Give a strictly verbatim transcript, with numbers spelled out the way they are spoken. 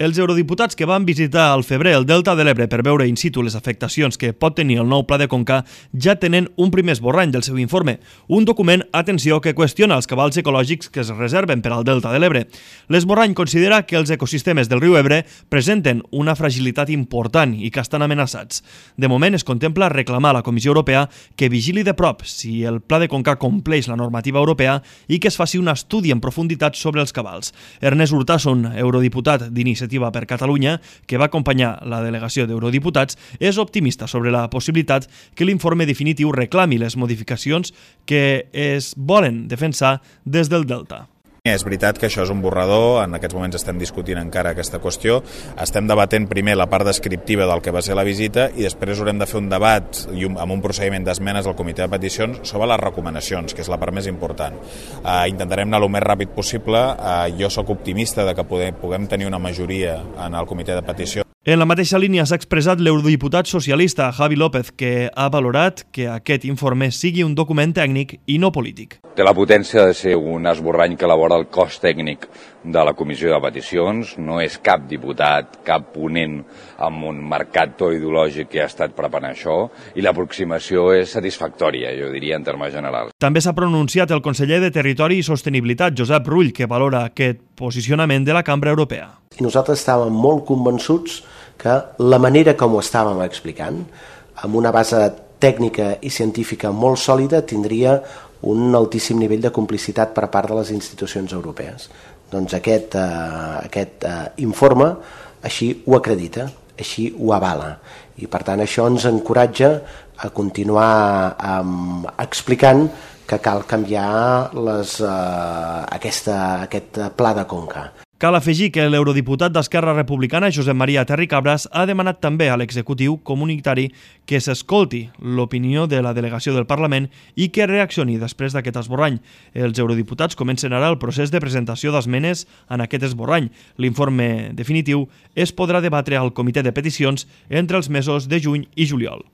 Els eurodiputats que van visitar al febrer el Delta de l'Ebre per veure in situ les afectacions que pot tenir el nou Pla de Conca ja tenen un primer esborrany del seu informe, un document, atenció, que qüestiona els cabals ecològics que es reserven per al Delta de l'Ebre. L'esborrany considera que els ecosistemes del riu Ebre presenten una fragilitat important i que estan amenaçats. De moment es contempla reclamar a la Comissió Europea que vigili de prop si el Pla de Conca compleix la normativa europea i que es faci un estudi en profunditat sobre els cabals. Ernest Urtasun, eurodiputat d'Iniciativa per Catalunya, que va acompanyar la delegació d'eurodiputats, és optimista sobre la possibilitat que l'informe definitiu reclami les modificacions que es volen defensar des del Delta. És veritat que això és un borrador, en aquests moments estem discutint encara aquesta qüestió, estem debatent primer la part descriptiva del que va ser la visita i després haurem de fer un debat i un, amb un procediment d'esmenes al comitè de peticions sobre les recomanacions, que és la part més important. Uh, intentarem anar el més ràpid possible, uh, jo sóc optimista de que podem, puguem tenir una majoria en el comitè de peticions. En la mateixa línia s'ha expressat l'eurodiputat socialista Javi López, que ha valorat que aquest informe sigui un document tècnic i no polític. Té la potència de ser un esborrany que elabora el cos tècnic de la Comissió de Peticions. No és cap diputat, cap ponent amb un marcat to ideològic que ha estat preparant això, i l'aproximació és satisfactòria, jo diria, en termes generals. També s'ha pronunciat el conseller de Territori i Sostenibilitat, Josep Rull, que valora aquest posicionament de la Cambra Europea. I nosaltres estàvem molt convençuts que la manera com ho estàvem explicant, amb una base tècnica i científica molt sòlida, tindria un altíssim nivell de complicitat per part de les institucions europees. Doncs aquest, eh, aquest eh, informe així ho acredita, així ho avala. I per tant això ens encoratja a continuar eh, explicant que cal canviar les, eh, aquesta, aquest pla de Conca. Cal afegir que l'eurodiputat d'Esquerra Republicana, Josep Maria Terri Cabras, ha demanat també a l'executiu comunitari que s'escolti l'opinió de la delegació del Parlament i que reaccioni després d'aquest esborrany. Els eurodiputats comencen ara el procés de presentació d'esmenes en aquest esborrany. L'informe definitiu es podrà debatre al comitè de peticions entre els mesos de juny i juliol.